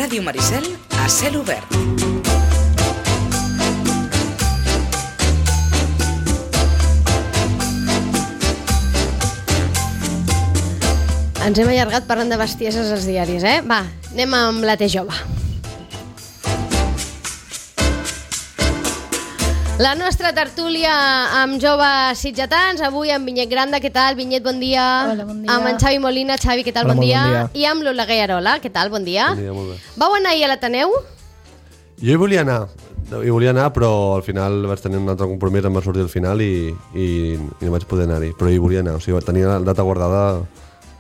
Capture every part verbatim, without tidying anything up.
Ràdio Maricel a cel obert. Ens hem allargat parlant de bestieses als diaris, eh? Va, anem amb la T jove. La nostra tertúlia amb joves sitgetans, avui amb Vinyet Granda, què tal? Vinyet, bon dia. Hola, bon dia. Amb en Xavi Molina, Xavi, què tal? Hola, bon, dia. bon dia. I amb l'Oleguer Arola, què tal? Bon dia. Bon dia, molt bé. Vau anar ahir a l'Ateneu? Jo hi volia anar, hi volia anar, però al final vaig tenir un altre compromís, em va sortir al final i, i, i no vaig poder anar-hi, però hi volia anar, o sigui, tenia la data guardada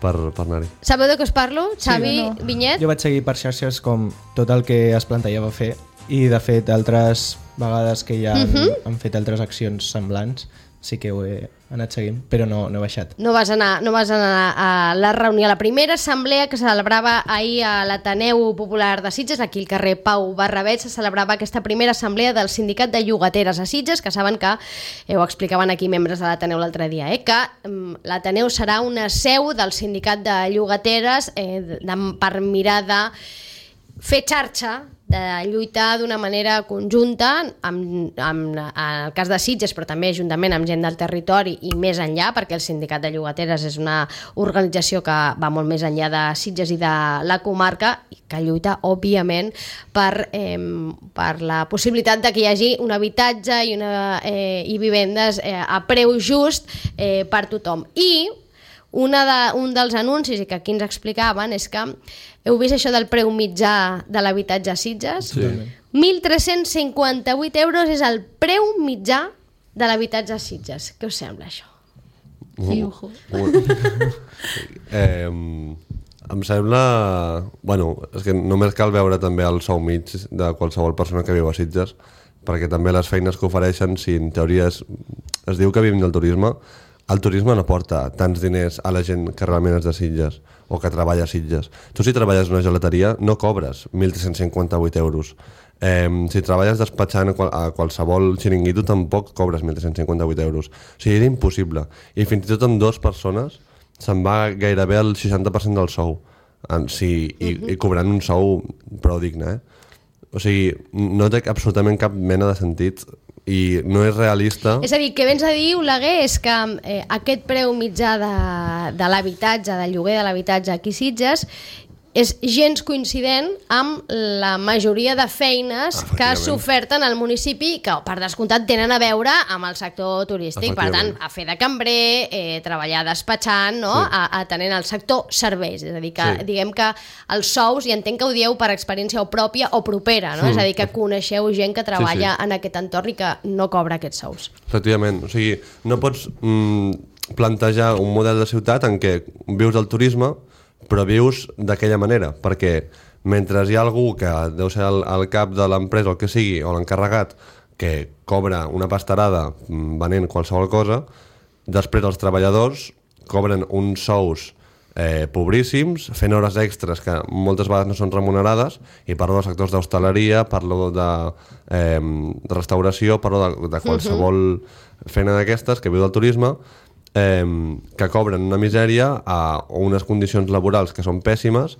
per, per anar-hi. Sabeu de què us parlo? Xavi, Sí, no. Vinyet? Jo vaig seguir per xarxes com tot el que es plantejava fer i de fet altres vegades que ja han, Mhm. han fet altres accions semblants sí que ho he anat seguint, però no, no he baixat. No vas, anar, no vas anar a la reunió, a la primera assemblea que se celebrava ahir a l'Ateneu Popular de Sitges, aquí al carrer Pau Barrabet, se celebrava aquesta primera assemblea del Sindicat de Llogateres a Sitges, que saben que, eh, ho explicaven aquí membres de l'Ateneu l'altre dia, eh, que mm, l'Ateneu serà una seu del Sindicat de Llogateres eh, de, per mirar de fer xarxa, de lluitar d'una manera conjunta amb, amb, en el cas de Sitges, però també juntament amb gent del territori i més enllà, perquè el Sindicat de Llogateres és una organització que va molt més enllà de Sitges i de la comarca i que lluita, òbviament, per, eh, per la possibilitat de que hi hagi un habitatge i, una, eh, i vivendes eh, a preu just eh, per tothom. I Una de, un dels anuncis i que aquí ens explicaven és que heu vist això del preu mitjà de l'habitatge a Sitges? Sí. mil tres-cents cinquanta-vuit euros és el preu mitjà de l'habitatge a Sitges. Què us sembla això? Sí, ojo. eh, em sembla... Bueno, és que només cal veure també el sou mig de qualsevol persona que viu a Sitges, perquè també les feines que ofereixen, si en teoria es, es diu que vivim del turisme, el turisme no porta tants diners a la gent que realment és de Sitges o que treballa a Sitges. Tu si treballes en una gelateria no cobres mil tres-cents cinquanta-vuit euros. Eh, si treballes despatxant a, qual, a qualsevol xiringuito tampoc cobres mil tres-cents cinquanta-vuit euros. O sigui, era impossible. I fins i tot amb dues persones se'n va gairebé el seixanta per cent del sou. En, sí, i, uh-huh. i cobrant un sou prou digne, eh? O sigui, no té absolutament cap mena de sentit i no és realista. És a dir, que vens a dir, Oleguer, és que eh, aquest preu mitjà de, de l'habitatge, del lloguer de l'habitatge aquí a Sitges, és gens coincident amb la majoria de feines que s'oferten al municipi que, per descomptat, tenen a veure amb el sector turístic. Per tant, a fer de cambrer, eh, treballar despatxant, no? Sí. a, atenent al sector serveis. És a dir, que sí. diguem que els sous, i entenc que ho dieu per experiència o pròpia o propera, no? Sí. És a dir, que coneixeu gent que treballa sí, sí. en aquest entorn i que no cobra aquests sous. Efectivament. O sigui, no pots mm, plantejar un model de ciutat en què vius del turisme però vius d'aquella manera, perquè mentre hi ha algú que deu ser el, el cap de l'empresa, el que sigui, o l'encarregat, que cobra una pastarada venent qualsevol cosa, després els treballadors cobren uns sous eh, pobríssims, fent hores extres que moltes vegades no són remunerades, i parlo dels sectors d'hostaleria, parlo de, eh, de restauració, parlo de, de qualsevol feina d'aquestes que viu del turisme, Eh, que cobren una misèria a unes condicions laborals que són pèssimes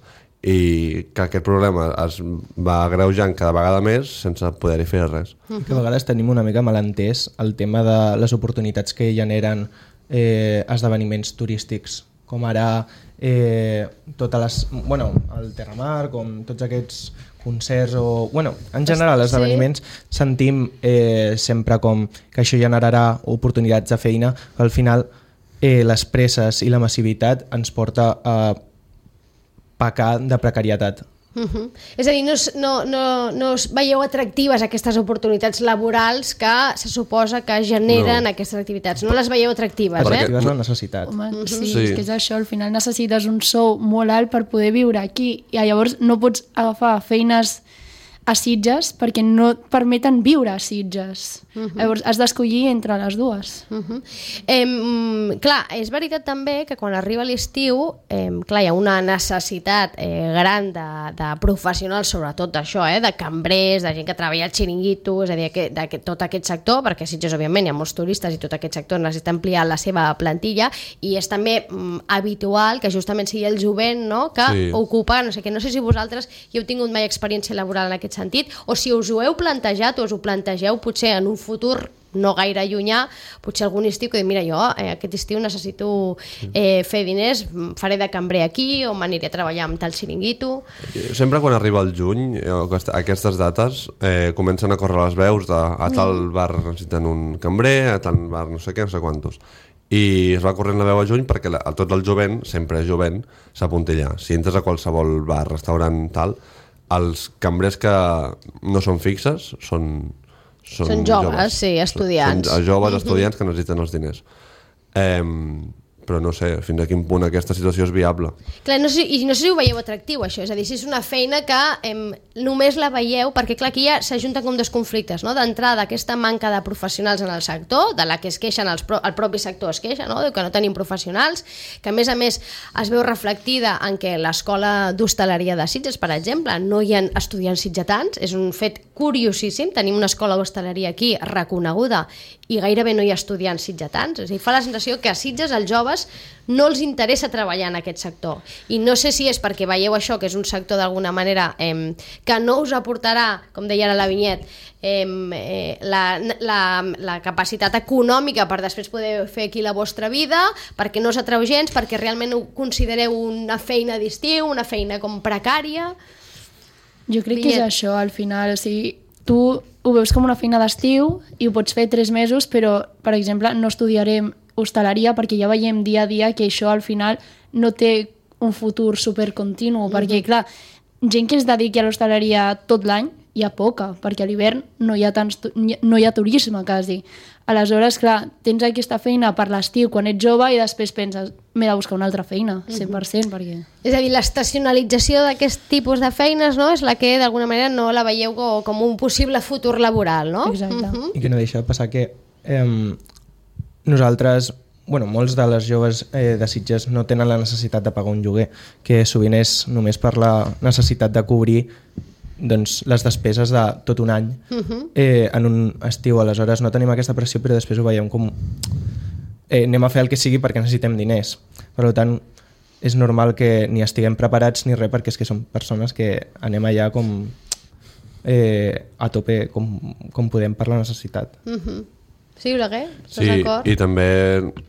i que aquest problema es va agreujant cada vegada més sense poder-hi fer res. Que a vegades tenim una mica mal entès el tema de les oportunitats que generen eh, esdeveniments turístics, com ara eh, totes les, bueno, el Terramar, com tots aquests concerts o... Bueno, en general, els esdeveniments sí. sentim eh, sempre com que això generarà oportunitats de feina, que al final eh, les presses i la massivitat ens porta a pecar de precarietat. Uh-huh. És a dir, no, no, no, no us veieu atractives aquestes oportunitats laborals que se suposa que generen no. aquestes activitats. No les veieu atractives, eh? Atractives és la necessitat. Home, uh-huh. sí, sí, és que és això, al final necessites un sou molt alt per poder viure aquí i llavors no pots agafar feines a Sitges perquè no et permeten viure a Sitges. Uh -huh. Llavors has d'escollir entre les dues. Uh -huh. eh, clar, és veritat també que quan arriba l'estiu eh, clar, hi ha una necessitat eh, gran de, de professionals, sobretot d'això, eh, de cambrers, de gent que treballa al xiringuito, és a dir, que, de, que tot aquest sector, perquè a Sitges òbviament hi ha molts turistes i tot aquest sector necessita ampliar la seva plantilla, i és també mm, habitual que justament sigui el jovent, no?, que sí. ocupa, no sé què, no sé si vosaltres hi heu tingut mai experiència laboral en aquest sentit, o si us ho heu plantejat o us ho plantegeu potser en un futur no gaire llunyà, potser algun estiu que diu, mira, jo eh, aquest estiu necessito eh, fer diners, faré de cambrer aquí o m'aniré a treballar amb tal xiringuito. Sempre quan arriba el juny, aquestes dates, eh, comencen a córrer les veus de a tal bar necessiten un cambrer, a tal bar no sé què, no sé quantos. I es va corrent la veu a juny perquè la, tot el jovent, sempre és jovent, s'apunta allà. Si entres a qualsevol bar, restaurant, tal, els cambrers que no són fixes són... Són, són joves, joves, sí, estudiants. Són joves, estudiants que necessiten els diners. Eh, però no sé fins a quin punt aquesta situació és viable. Clar, no sé, i no sé si ho veieu atractiu, això, és a dir, si és una feina que eh, només la veieu, perquè clar, aquí ja s'ajunten com dos conflictes, no? D'entrada, aquesta manca de professionals en el sector, de la que es queixen, els pro, el propi sector es queixa, no? Diu que no tenim professionals, que a més a més es veu reflectida en què l'escola d'hostaleria de Sitges, per exemple, no hi ha estudiants sitgetans, és un fet curiosíssim, tenim una escola d'hostaleria aquí reconeguda i gairebé no hi ha estudiants sitgetans, és a dir, fa la sensació que a Sitges els joves no els interessa treballar en aquest sector, i no sé si és perquè veieu això, que és un sector d'alguna manera eh, que no us aportarà, com deia ara la Vinyet, eh, eh, la, la, la capacitat econòmica per després poder fer aquí la vostra vida, perquè no us atreu gens, perquè realment ho considereu una feina d'estiu, una feina com precària. Jo crec que és això, al final, o sigui, tu ho veus com una feina d'estiu i ho pots fer tres mesos, però, per exemple, no estudiarem hostaleria perquè ja veiem dia a dia que això al final no té un futur supercontinu, mm-hmm. perquè, clar, gent que es dediqui a l'hostaleria tot l'any hi ha poca, perquè a l'hivern no hi ha tants, no hi ha turisme quasi. Aleshores, clar, tens aquesta feina per l'estiu quan ets jove i després penses, m'he de buscar una altra feina, cent per cent, perquè... És a dir, l'estacionalització d'aquest tipus de feines, no?, és la que d'alguna manera no la veieu com un possible futur laboral, no? Exacte. Uh-huh. I que no deixa de passar que eh, nosaltres, bueno, molts de les joves eh, de Sitges no tenen la necessitat de pagar un lloguer, que sovint és només per la necessitat de cobrir doncs, les despeses de tot un any uh-huh. eh, en un estiu. Aleshores no tenim aquesta pressió, però després ho veiem com eh, anem a fer el que sigui perquè necessitem diners. Per tant, és normal que ni estiguem preparats ni res, perquè és que som persones que anem allà com eh, a tope com, com podem per la necessitat. Uh-huh. Sí, Oleguer? Estàs sí, d'acord? I també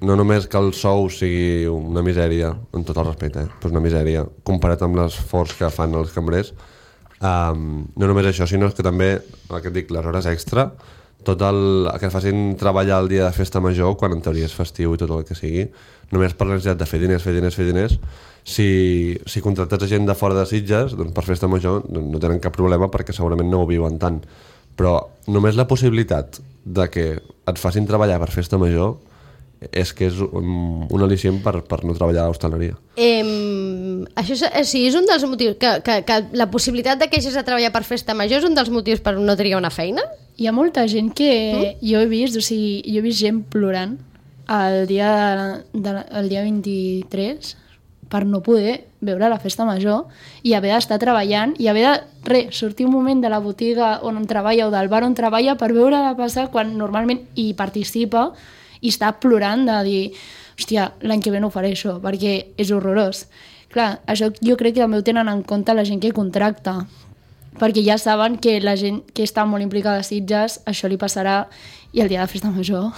no només que el sou sigui una misèria, en tot el respecte, eh? Però una misèria comparat amb l'esforç que fan els cambrers. Um, no només això, sinó que també, el que et dic, les hores extra, tot el que facin treballar el dia de festa major, quan en teoria és festiu i tot el que sigui, només per la necessitat de fer diners, fer diners, fer diners. Si, si contractes gent de fora de Sitges, doncs per festa major no tenen cap problema perquè segurament no ho viuen tant. Però només la possibilitat de que et facin treballar per festa major és que és un, un al·licient per, per no treballar a l'hostaleria. Eh, això és, sí, és un dels motius que, que, que la possibilitat de que hagis de treballar per festa major és un dels motius per no triar una feina? Hi ha molta gent que mm? jo he vist, o sigui, jo he vist gent plorant el dia, de, el dia vint-i-tres per no poder veure la festa major i haver d'estar treballant i haver de re, sortir un moment de la botiga on treballa o del bar on treballa per veure-la passar quan normalment hi participa i està plorant de dir, hòstia, l'any que ve no ho faré això, perquè és horrorós. Clar, això jo crec que també ho tenen en compte la gent que contracta, perquè ja saben que la gent que està molt implicada a Sitges, això li passarà i el dia de festa major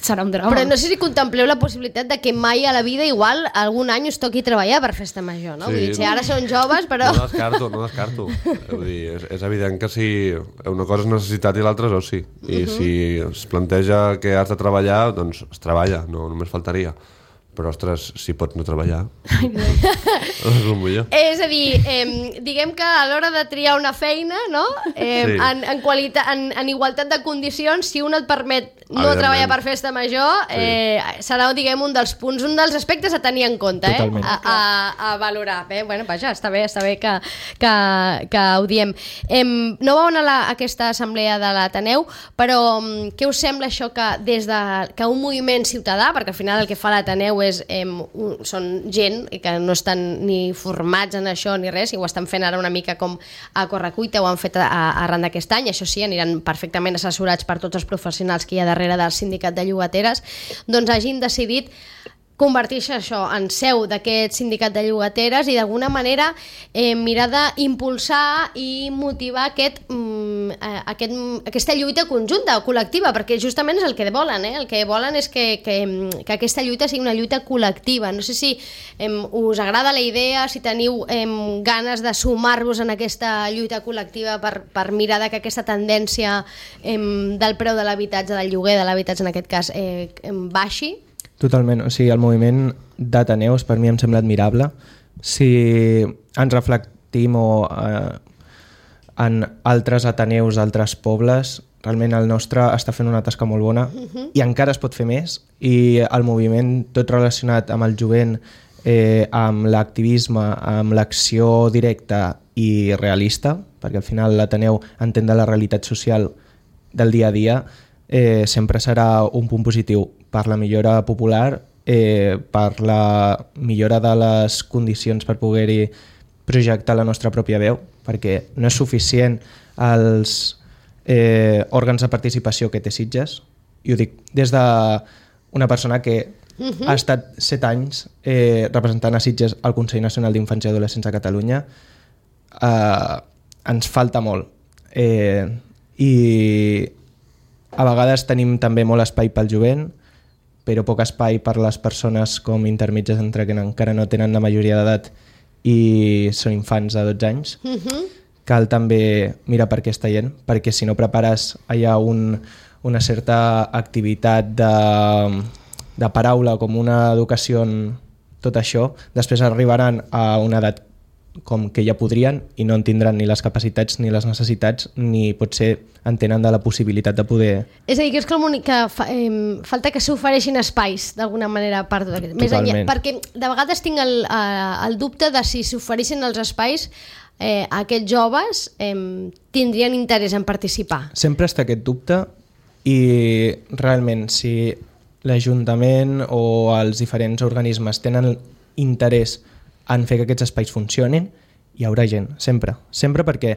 serà un drama. Però no sé si contempleu la possibilitat de que mai a la vida igual algun any us toqui treballar per festa major, no? Sí, vull dir, si ara són joves, però... No descarto, no descarto. Vull dir, és, és evident que si una cosa és necessitat i l'altra és oci. I uh-huh. si es planteja que has de treballar, doncs es treballa, no només faltaria. Però, ostres, si pots no treballar, és el millor. És a dir, eh, diguem que a l'hora de triar una feina, no? eh, sí. en, en, qualitat, en, en igualtat de condicions, si un et permet no treballar per festa major eh, sí. serà, diguem, un dels punts, un dels aspectes a tenir en compte, eh? a, a, a valorar. Bé, bueno, vaja, està bé, està bé que, que, que ho diem. Em, no vau anar a, la, a aquesta assemblea de l'Ateneu, però què us sembla això que des de que un moviment ciutadà, perquè al final el que fa l'Ateneu és em, un, són gent que no estan ni formats en això ni res, i ho estan fent ara una mica com a correcuita, ho han fet a, a, arran d'aquest any, això sí, aniran perfectament assessorats per tots els professionals que hi ha darrere del sindicat de llogateres, doncs hagin decidit convertir-se això en seu d'aquest sindicat de llogateres i d'alguna manera eh, mirar d'impulsar i motivar aquest, mm, aquest, aquesta lluita conjunta o col·lectiva, perquè justament és el que volen, eh? El que volen és que, que, que aquesta lluita sigui una lluita col·lectiva. No sé si eh, us agrada la idea, si teniu eh, ganes de sumar-vos en aquesta lluita col·lectiva per, per mirar que aquesta tendència eh, del preu de l'habitatge, del lloguer de l'habitatge en aquest cas, eh, baixi. Totalment, o sigui, el moviment d'Ateneus per mi em sembla admirable. Si ens reflectim o, eh, en altres Ateneus d'altres pobles, realment el nostre està fent una tasca molt bona uh-huh. i encara es pot fer més, i el moviment tot relacionat amb el jovent, eh, amb l'activisme, amb l'acció directa i realista, perquè al final l'Ateneu entén de la realitat social del dia a dia, eh, sempre serà un punt positiu per la millora popular, eh, per la millora de les condicions per poder-hi projectar la nostra pròpia veu, perquè no és suficient els eh, òrgans de participació que té Sitges, i ho dic des d'una persona que uh-huh. ha estat set anys eh, representant a Sitges al Consell Nacional d'Infants i Adolescents de Catalunya. Eh, ens falta molt. Eh, I a vegades tenim també molt espai pel jovent, però poc espai per les persones com intermitges entre que encara no tenen la majoria d'edat i són infants de dotze anys. Uh-huh. Cal també mirar per aquesta gent, perquè si no prepares allà un, una certa activitat de, de paraula, com una educació en tot això, després arribaran a una edat com que ja podrien i no en tindran ni les capacitats ni les necessitats, ni potser entenen de la possibilitat de poder... És a dir, que és com que fa, eh, falta que s'ofereixin espais d'alguna manera per tot aquest... Més enllà, perquè de vegades tinc el, el dubte de si s'oferissin els espais eh, aquests joves eh, tindrien interès en participar. Sempre està aquest dubte, i realment si l'Ajuntament o els diferents organismes tenen interès en fer que aquests espais funcionin, hi haurà gent, sempre. Sempre, perquè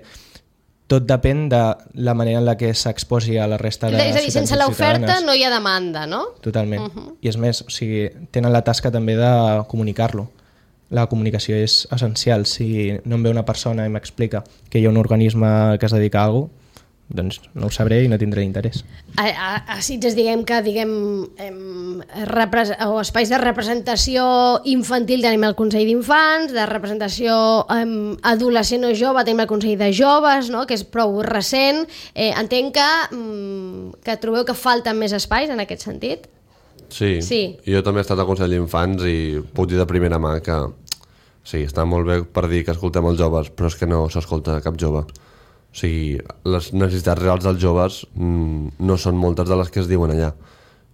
tot depèn de la manera en la que s'exposi a la resta de ciutadans. És a dir, sense l'oferta no hi ha demanda, no? Totalment. Uh-huh. I és més, o sigui, tenen la tasca també de comunicar-lo. La comunicació és essencial. Si no em ve una persona i m'explica que hi ha un organisme que es dedica a alguna cosa, doncs no ho sabré i no tindré interès. A, a, a Sitges, diguem que diguem, em, repres o espais de representació infantil tenim el Consell d'Infants, de representació em, adolescent o jove tenim el Consell de Joves, no? Que és prou recent. Eh, entenc que, em, que trobeu que falten més espais en aquest sentit? Sí, sí, jo també he estat al Consell d'Infants i puc dir de primera mà que sí, està molt bé per dir que escoltem els joves, però és que no s'escolta cap jove. O sigui, les necessitats reals dels joves mm, no són moltes de les que es diuen allà.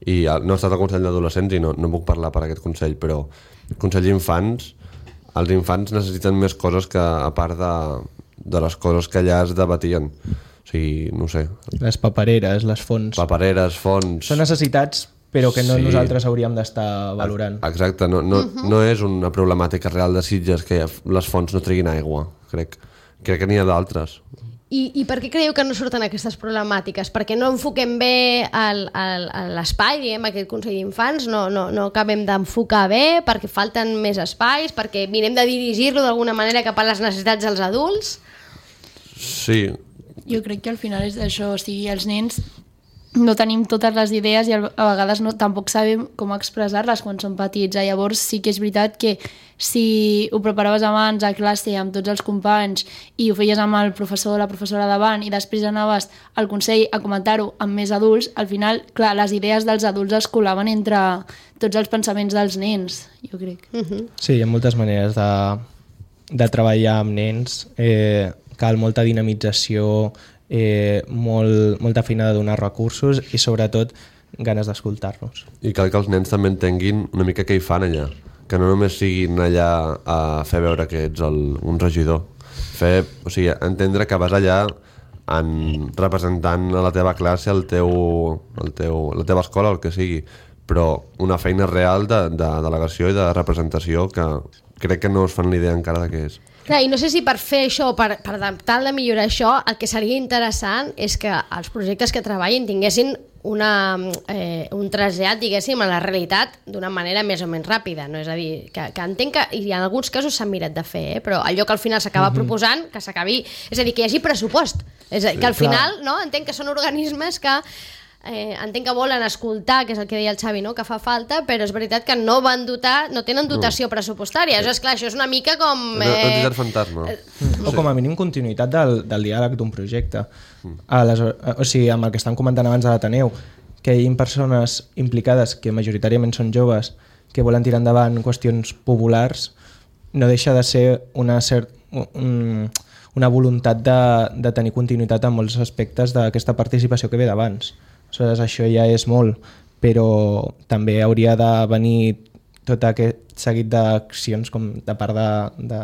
I no he estat al Consell d'Adolescents i no, no puc parlar per aquest Consell, però el Consell d'Infants, els infants necessiten més coses que a part de, de les coses que allà es debatien. O sigui, no sé. Les papereres, les fonts. Papereres, fonts... Són necessitats, però que no sí. nosaltres hauríem d'estar valorant. Exacte, no, no, uh-huh. no és una problemàtica real de Sitges que les fonts no triguin aigua, crec. Crec que n'hi ha d'altres. I, I per què creieu que no surten aquestes problemàtiques? Perquè no enfoquem bé l'espai, diguem, aquest Consell d'Infants, no, no, no acabem d'enfocar bé, perquè falten més espais, perquè mirem de dirigir-lo d'alguna manera cap a les necessitats dels adults? Sí. Jo crec que al final és això, o sigui, els nens no tenim totes les idees i a vegades no, tampoc sabem com expressar-les quan són petits. Llavors sí que és veritat que si ho preparaves abans a classe amb tots els companys i ho feies amb el professor o la professora davant i després anaves al Consell a comentar-ho amb més adults, al final, clar, les idees dels adults es colaven entre tots els pensaments dels nens, jo crec. Uh-huh. Sí, hi ha moltes maneres de, de treballar amb nens, eh, cal molta dinamització, Eh, molt, molta feina de donar recursos i sobretot ganes d'escoltar-nos. I cal que els nens també entenguin una mica què hi fan allà, que no només siguin allà a fer veure que ets el, un regidor, fer, o sigui, entendre que vas allà en representant a la teva classe, el teu, el teu, la teva escola, el que sigui, però una feina real de, de delegació i de representació que crec que no es fan l'idea encara de què és. Clar, i no sé si per fer això, per, per tal de millorar això, el que seria interessant és que els projectes que treballin tinguessin una, eh, un trasllat, diguéssim, a la realitat d'una manera més o menys ràpida, no? És a dir, que, que entenc que, i en alguns casos s'han mirat de fer, eh? Però allò que al final s'acaba mm-hmm. proposant, que s'acabi... És a dir, que hi hagi pressupost. És a dir, que al final, no? Entenc que són organismes que Eh, entenc que volen escoltar, que és el que deia el Xavi, no? Que fa falta, però és veritat que no van dotar, no tenen dotació no. pressupostària. Això és clar, això és una mica com... Eh... Entitat fantasma. Eh, o com a mínim continuïtat del, del diàleg d'un projecte. Mm. Aleshores, o sigui, amb el que estan comentant abans de l'Ateneu, que hi ha persones implicades, que majoritàriament són joves, que volen tirar endavant qüestions populars, no deixa de ser una, cert, un, una voluntat de, de tenir continuïtat en molts aspectes d'aquesta participació que ve d'abans. Aleshores, això ja és molt, però també hauria de venir tot aquest seguit d'accions com de part de, de,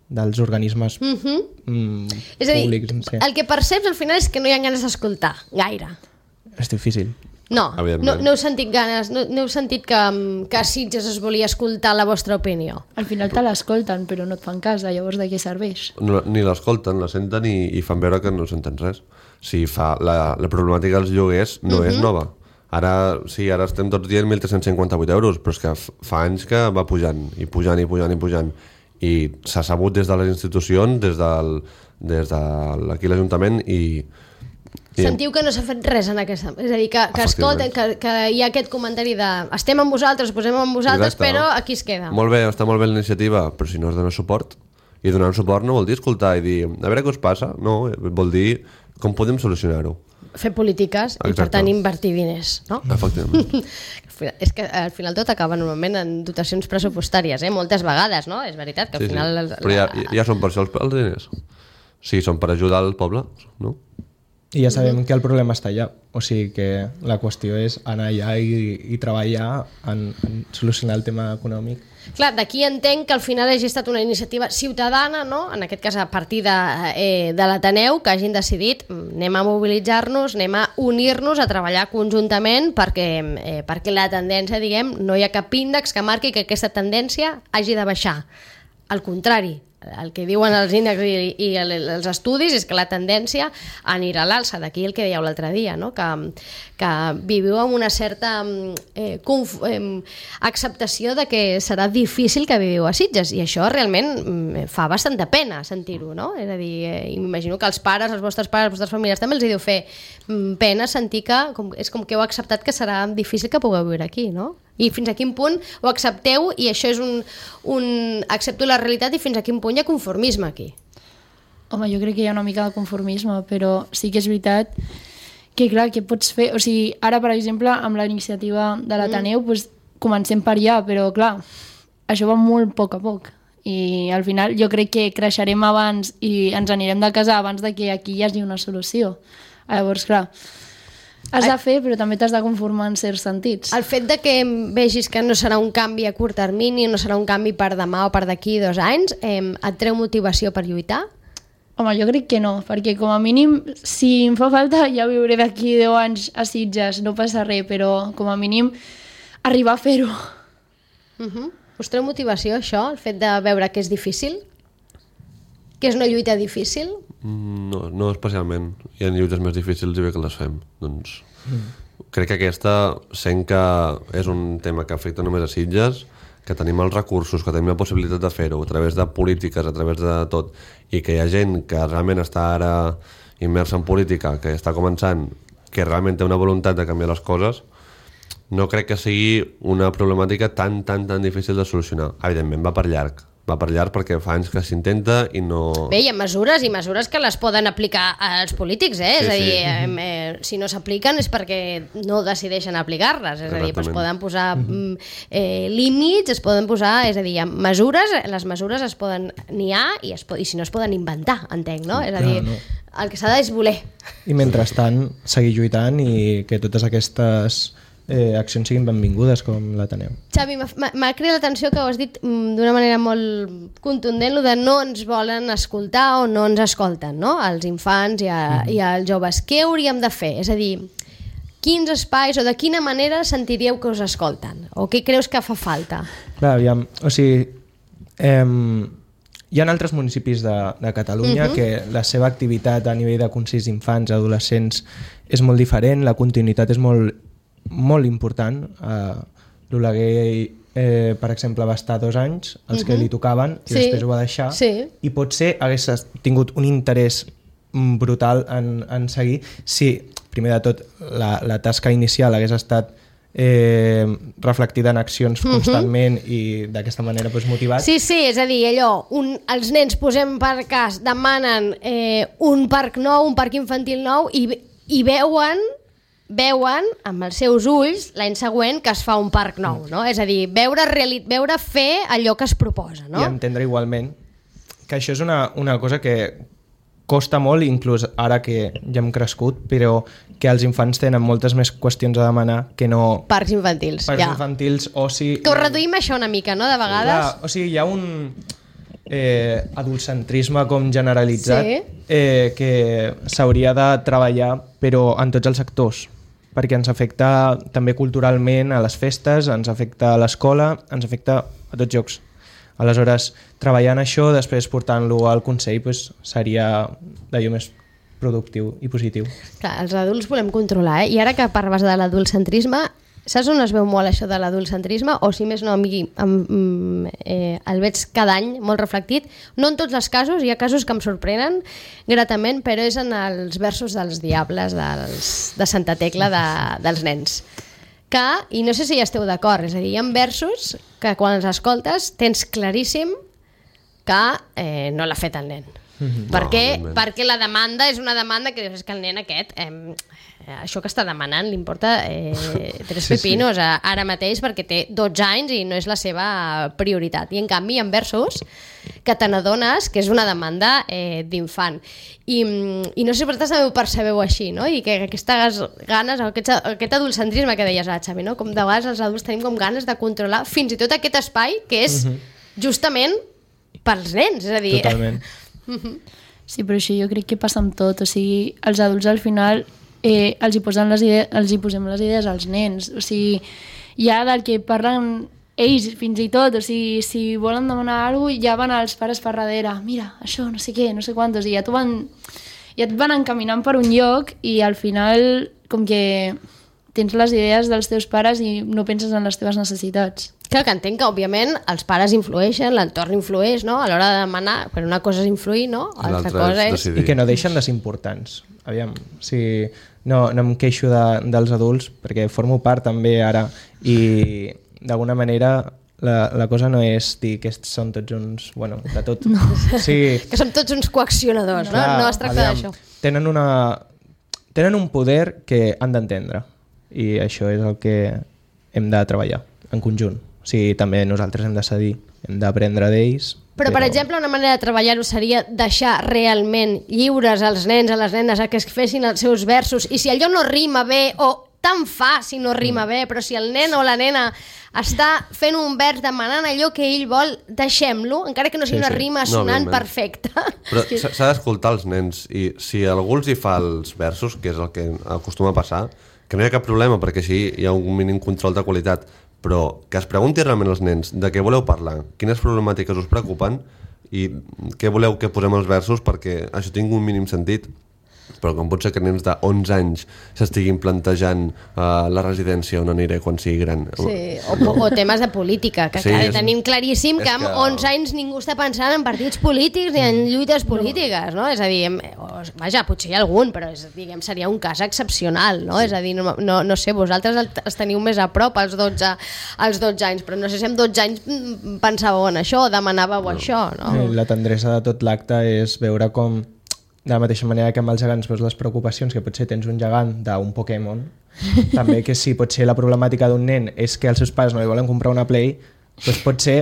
dels organismes mm-hmm. mm, és a dir, públics. Sí. El que perceps al final és que no hi ha ganes d'escoltar, gaire. És difícil. No, no, no heu sentit ganes, no, no heu sentit que, que a Sitges es volia escoltar la vostra opinió. Al final te l'escolten, però no et fan cas, llavors de què serveix? No, ni l'escolten, la senten i, i fan veure que no senten res. Si fa, la, la problemàtica dels lloguers no mm-hmm. és nova. Ara sí, ara estem tots dient mil tres-cents cinquanta-vuit euros, però és que fa anys que va pujant, i pujant, i pujant, i pujant. I s'ha sabut des de les institucions, des del, des de aquí l'Ajuntament, i... i sentiu que no s'ha fet res en aquesta... És a dir, que, que escolten, que, que hi ha aquest comentari de estem amb vosaltres, posem amb vosaltres, exacte, però aquí es queda. Molt bé, està molt bé la iniciativa, però si no es dona suport, i donar suport no vol dir escoltar i dir a veure què us passa, no, vol dir com podem solucionar-ho. Fer polítiques. Exacte. I per tant invertir diners, no? Efectivament. És que al final tot acaba normalment en dotacions pressupostàries, eh? Moltes vegades, no? És veritat que al sí, final... Sí. Però ja, ja són per això els, els diners. Sí, són per ajudar el poble, no? I ja sabem mm-hmm. que el problema està allà, o sigui que la qüestió és anar allà i, i treballar en, en solucionar el tema econòmic. Clar, d'aquí entenc que al final hagi estat una iniciativa ciutadana, no? En aquest cas a partir de, eh, de l'Ateneu, que hagin decidit anem a mobilitzar-nos, anem a unir-nos, a treballar conjuntament perquè, eh, perquè la tendència, diguem, no hi ha cap índex que marqui que aquesta tendència hagi de baixar. Al contrari, el que diuen els índexs i, i els estudis és que la tendència anirà a l'alça. D'aquí el que dèieu l'altre dia, no? que, que viviu amb una certa eh, conf, eh, acceptació de que serà difícil que viviu a Sitges, i això realment eh, fa bastanta pena sentir-ho, no? És a dir, eh, m'imagino que els pares, els vostres pares, les vostres famílies també els hi deu fer mm, pena sentir que com, és com que heu acceptat que serà difícil que pugueu viure aquí, no? I fins a quin punt ho accepteu, i això és un, un... accepto la realitat, i fins a quin punt hi ha conformisme aquí? Home, jo crec que hi ha una mica de conformisme, però sí que és veritat que, clar, què pots fer? O sigui, ara, per exemple, amb la iniciativa de l'Ateneu, mm. doncs, comencem per allà, però, clar, això va molt a poc a poc. I al final jo crec que creixerem abans i ens anirem de casa abans de que aquí hi hagi una solució. Llavors, clar, has de fer, però també t'has de conformar en certs sentits. El fet de que vegis que no serà un canvi a curt termini, no serà un canvi per demà o per d'aquí dos anys, eh, et treu motivació per lluitar? Home, jo crec que no, perquè com a mínim, si em fa falta, ja viuré d'aquí deu anys a Sitges, no passa res, però com a mínim arribar a fer-ho. Uh-huh. Us treu motivació, això, el fet de veure que és difícil? Que és una lluita difícil? No, no especialment. Hi ha lluites més difícils i bé que les fem. Doncs mm. crec que aquesta, sent que és un tema que afecta només a Sitges, que tenim els recursos, que tenim la possibilitat de fer-ho a través de polítiques, a través de tot, i que hi ha gent que realment està ara immersa en política, que està començant, que realment té una voluntat de canviar les coses, no crec que sigui una problemàtica tan, tan, tan difícil de solucionar. Evidentment, va per llarg. Va per llarg perquè fa anys que s'intenta i no... Bé, hi ha mesures i mesures que les poden aplicar els polítics, eh? Sí, és a dir, sí. eh, si no s'apliquen és perquè no decideixen aplicar-les, és a dir, es poden posar eh, límits, es poden posar, és a dir, hi ha mesures, les mesures es poden n'hi ha i, es, i si no es poden inventar, entenc, no? És a dir, no. El que s'ha de és voler. I mentrestant, seguir lluitant i que totes aquestes eh, accions siguin benvingudes com l'Ateneu. Xavi, m'ha cridat l'atenció que ho has dit d'una manera molt contundent, lo de no ens volen escoltar o no ens escolten, no? Els infants i, a, mm. i els joves. Què hauríem de fer? És a dir, quins espais o de quina manera sentiríeu que us escolten? O què creus que fa falta? Clar, aviam, o sigui, eh, hi ha altres municipis de, de Catalunya uh-huh. que la seva activitat a nivell de consells d'infants, adolescents, és molt diferent, la continuïtat és molt, molt important. Uh, L'Oleguer, eh, per exemple, va estar dos anys, els uh-huh. que li tocaven, i sí. després ho va deixar, sí. i potser hagués tingut un interès brutal en, en seguir si, primer de tot, la, la tasca inicial hagués estat eh, reflectida en accions uh-huh. constantment i d'aquesta manera pues, motivat. Sí, sí, és a dir, allò, un, els nens, posem per cas, demanen eh, un parc nou, un parc infantil nou i, i veuen veuen amb els seus ulls l'any següent que es fa un parc nou, no? És a dir, veure, reali- veure fer allò que es proposa, no? I entendre igualment que això és una, una cosa que costa molt, inclús ara que ja hem crescut, però que els infants tenen moltes més qüestions a demanar que no... Parcs infantils, Parcs ja. infantils, oci... Que ho reduïm això una mica, no?, de vegades. Clar, o sigui, hi ha un eh, adultcentrisme com generalitzat sí. eh, que s'hauria de treballar, però en tots els sectors, perquè ens afecta també culturalment a les festes, ens afecta a l'escola, ens afecta a tots llocs. Aleshores, treballant això, després portant-lo al Consell, pues, seria d'allò més productiu i positiu. Clar, els adults volem controlar, eh? I ara que parles de l'adultcentrisme, saps on es veu molt això de l'adultcentrisme? O si més no, a mi em, eh, el veig cada any molt reflectit. No en tots els casos, hi ha casos que em sorprenen gratament, però és en els versos dels diables dels, de Santa Tecla de, dels nens. Que, i no sé si hi esteu d'acord, és a dir, hi ha versos que quan els escoltes tens claríssim que eh, no l'ha fet el nen. Mm-hmm. perquè, no, perquè la demanda és una demanda que dius, és que el nen aquest eh, això que està demanant li importa eh, tres sí, pepinos sí. ara mateix perquè té dotze anys i no és la seva prioritat, i en canvi hi ha versos que te n'adones que és una demanda eh, d'infant I, i no sé si vosaltres també ho percebeu així, no? I que aquestes ganes, aquest, aquest adultcentrisme que deies, ah, Xavi, no? Com de vegades els adults tenim com ganes de controlar fins i tot aquest espai que és mm-hmm. justament pels nens, és a dir... Totalment. Sí, però això jo crec que passa amb tot, o sigui, els adults al final eh, els, hi posen les idees, els hi posem les idees als nens, o sigui, hi ha del que parlen ells fins i tot, o sigui, si volen demanar alguna cosa ja van als pares per darrere, mira, això, no sé què, no sé quantos, i ja, van, ja et van encaminant per un lloc i al final com que tens les idees dels teus pares i no penses en les teves necessitats. Clar, que entenc que, òbviament, els pares influeixen, l'entorn influeix, no?, a l'hora de demanar, però una cosa és influir, no?, l'altra cosa és... I que no deixen de ser importants. Aviam, si no, no em queixo de, dels adults, perquè formo part també ara, i d'alguna manera la, la cosa no és dir que són tots uns... Bueno, de tot... No. Sí. Que som tots uns coaccionadors, no? Clar, no es tracta d'això. Tenen, una, tenen un poder que han d'entendre, i això és el que hem de treballar en conjunt. O sigui, també nosaltres hem de cedir, hem d'aprendre d'ells. Però, però, per exemple, una manera de treballar-ho seria deixar realment lliures als nens, a les nenes, a que es fessin els seus versos, i si allò no rima bé, o tant fa si no rima bé, però si el nen o la nena està fent un vers demanant allò que ell vol, deixem-lo, encara que no sigui sí, una rima sí. sonant no, perfecta. Però s'ha d'escoltar els nens, i si algú els hi fa els versos, que és el que acostuma a passar, que no hi ha cap problema, perquè així hi ha un mínim control de qualitat, però que es pregunti realment als nens de què voleu parlar, quines problemàtiques us preocupen i què voleu que posem als versos perquè això tingui un mínim sentit. Però com pot ser que nens de onze anys s'estiguin plantejant uh, la residència on aniré quan sigui gran? Sí, o, o temes de política, que, sí, que és, tenim claríssim que amb que... onze anys ningú està pensant en partits polítics ni en lluites polítiques, no? És a dir, vaja, potser hi ha algun, però és, diguem, seria un cas excepcional, no? Sí. És a dir, no, no, no sé, vosaltres els teniu més a prop als dotze, als dotze anys, però no sé si amb dotze anys pensàveu en això, demanàveu no. això, no? Sí, la tendresa de tot l'acte és veure com de la mateixa manera que amb els gegants veus les preocupacions, que potser tens un gegant d'un Pokémon, també que si potser la problemàtica d'un nen és que els seus pares no li volen comprar una Play, doncs potser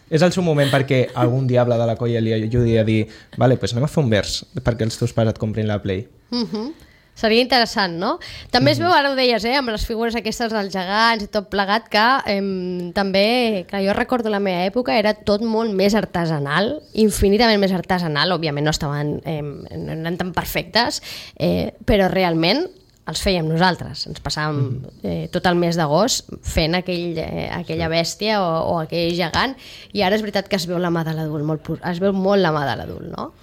és el seu moment perquè algun diable de la colla li ajudi a dir vale, doncs anem a fer un vers perquè els teus pares et comprin la Play. Uh-huh. Seria interessant, no? També es veu, ara ho deies, eh, amb les figures aquestes dels gegants i tot plegat, que eh, també, clar, jo recordo la meva època, era tot molt més artesanal, infinitament més artesanal, òbviament no estaven, eh, no eren tan perfectes, eh, però realment els fèiem nosaltres, ens passàvem eh, tot el mes d'agost fent aquell, eh, aquella bèstia o, o aquell gegant, i ara és veritat que es veu la mà de l'adult, molt, es veu molt la mà de l'adult, no?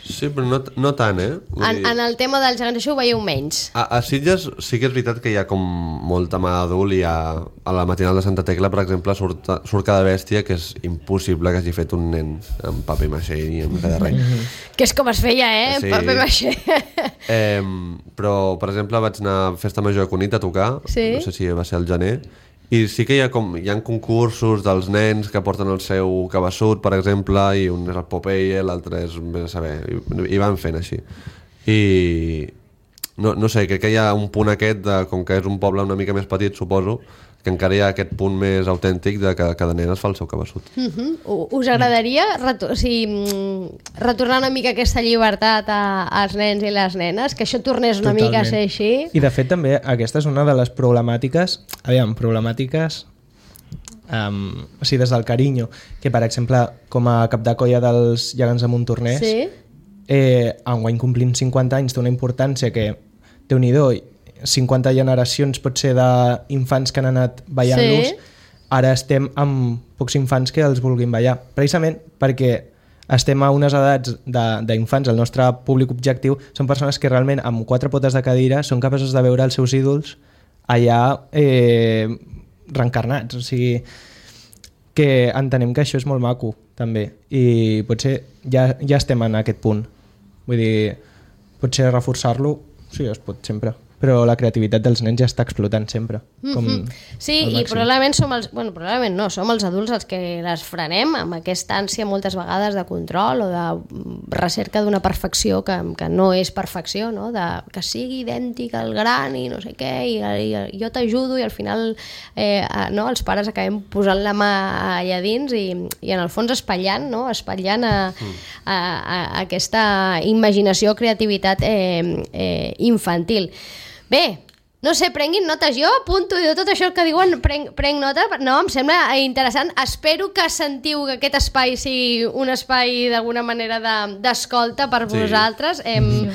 Sí, però no, no tant, eh? En, en el tema dels gegants això ho veieu menys. A, a Sitges sí que és veritat que hi ha com molta mà d'adult i a, a la matinal de Santa Tecla, per exemple, surt, surt cada bèstia que és impossible que hagi fet un nen amb paper maixé i amb cada res. Que és com es feia, eh? Sí. Paper maixé. Eh, però, per exemple, vaig anar a Festa Major a Cunit a tocar, sí? no sé si va ser al gener, i sí que hi ha, com, hi ha concursos dels nens que porten el seu cabeçut, per exemple, i un és el Popeye, l'altre és, vés a saber, i, i van fent així. I no, no sé, crec que hi ha un punt aquest, de, com que és un poble una mica més petit, suposo, que encara hi ha aquest punt més autèntic de que cada nen es fa el seu cabeçut. Uh-huh. Us agradaria retor o sigui, retornar una mica aquesta llibertat a, als nens i les nenes? Que això tornés una Totalment. mica a ser així? I de fet també aquesta és una de les problemàtiques, aviam, problemàtiques um, o sigui, des del carinyo, que per exemple com a cap de colla dels gegants de Montornès, Sí? eh, enguany complint cinquanta anys té una importància que, Déu-n'hi-do, cinquanta generacions potser d'infants que han anat ballant-los, Sí. ara estem amb pocs infants que els vulguin ballar, precisament perquè estem a unes edats d'infants, el nostre públic objectiu són persones que realment amb quatre potes de cadira són capaços de veure els seus ídols allà eh, reencarnats, o sigui que entenem que això és molt maco també, i potser ja, ja estem en aquest punt, vull dir, potser reforçar-lo sí, es pot sempre, però la creativitat dels nens ja està explotant sempre. Com Mm-hmm. Sí, i probablement som els, bueno, probablement no, som els adults els que les frenem amb aquesta ànsia moltes vegades de control o de recerca d'una perfecció que, que no és perfecció, no? De, que sigui idèntic al gran i no sé què, i, i jo t'ajudo i al final eh, no, els pares acabem posant la mà allà dins i, i en el fons espatllant, no? espatllant a, a, a aquesta imaginació o creativitat eh, eh, infantil. Bé, no sé, prenguin notes. Jo apunto de tot això que diuen, prenc, prenc nota. No, em sembla interessant. Espero que sentiu que aquest espai sigui un espai d'alguna manera d'escolta de, per Sí. vosaltres. Em,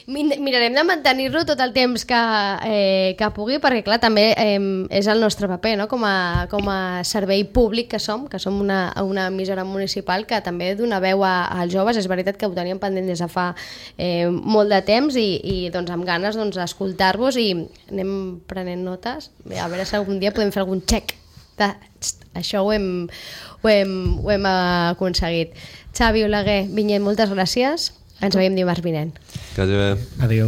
mirarem de mantenir-lo tot el temps que, eh, que pugui, perquè clar, també eh, és el nostre paper, no? com, a, com a servei públic que som, que som una, una emissora municipal que també dona veu a, als joves. És veritat que ho teníem pendent des de fa eh, molt de temps i, i doncs, amb ganes doncs, d'escoltar vos i anem prenent notes. Bé, a veure si algun dia podem fer algun check de, això ho hem, ho hem, ho hem aconseguit. Xavi Oleguer, Vinyet, moltes gràcies. Ens veiem dimarts vinent. Que vagi bé. Adéu.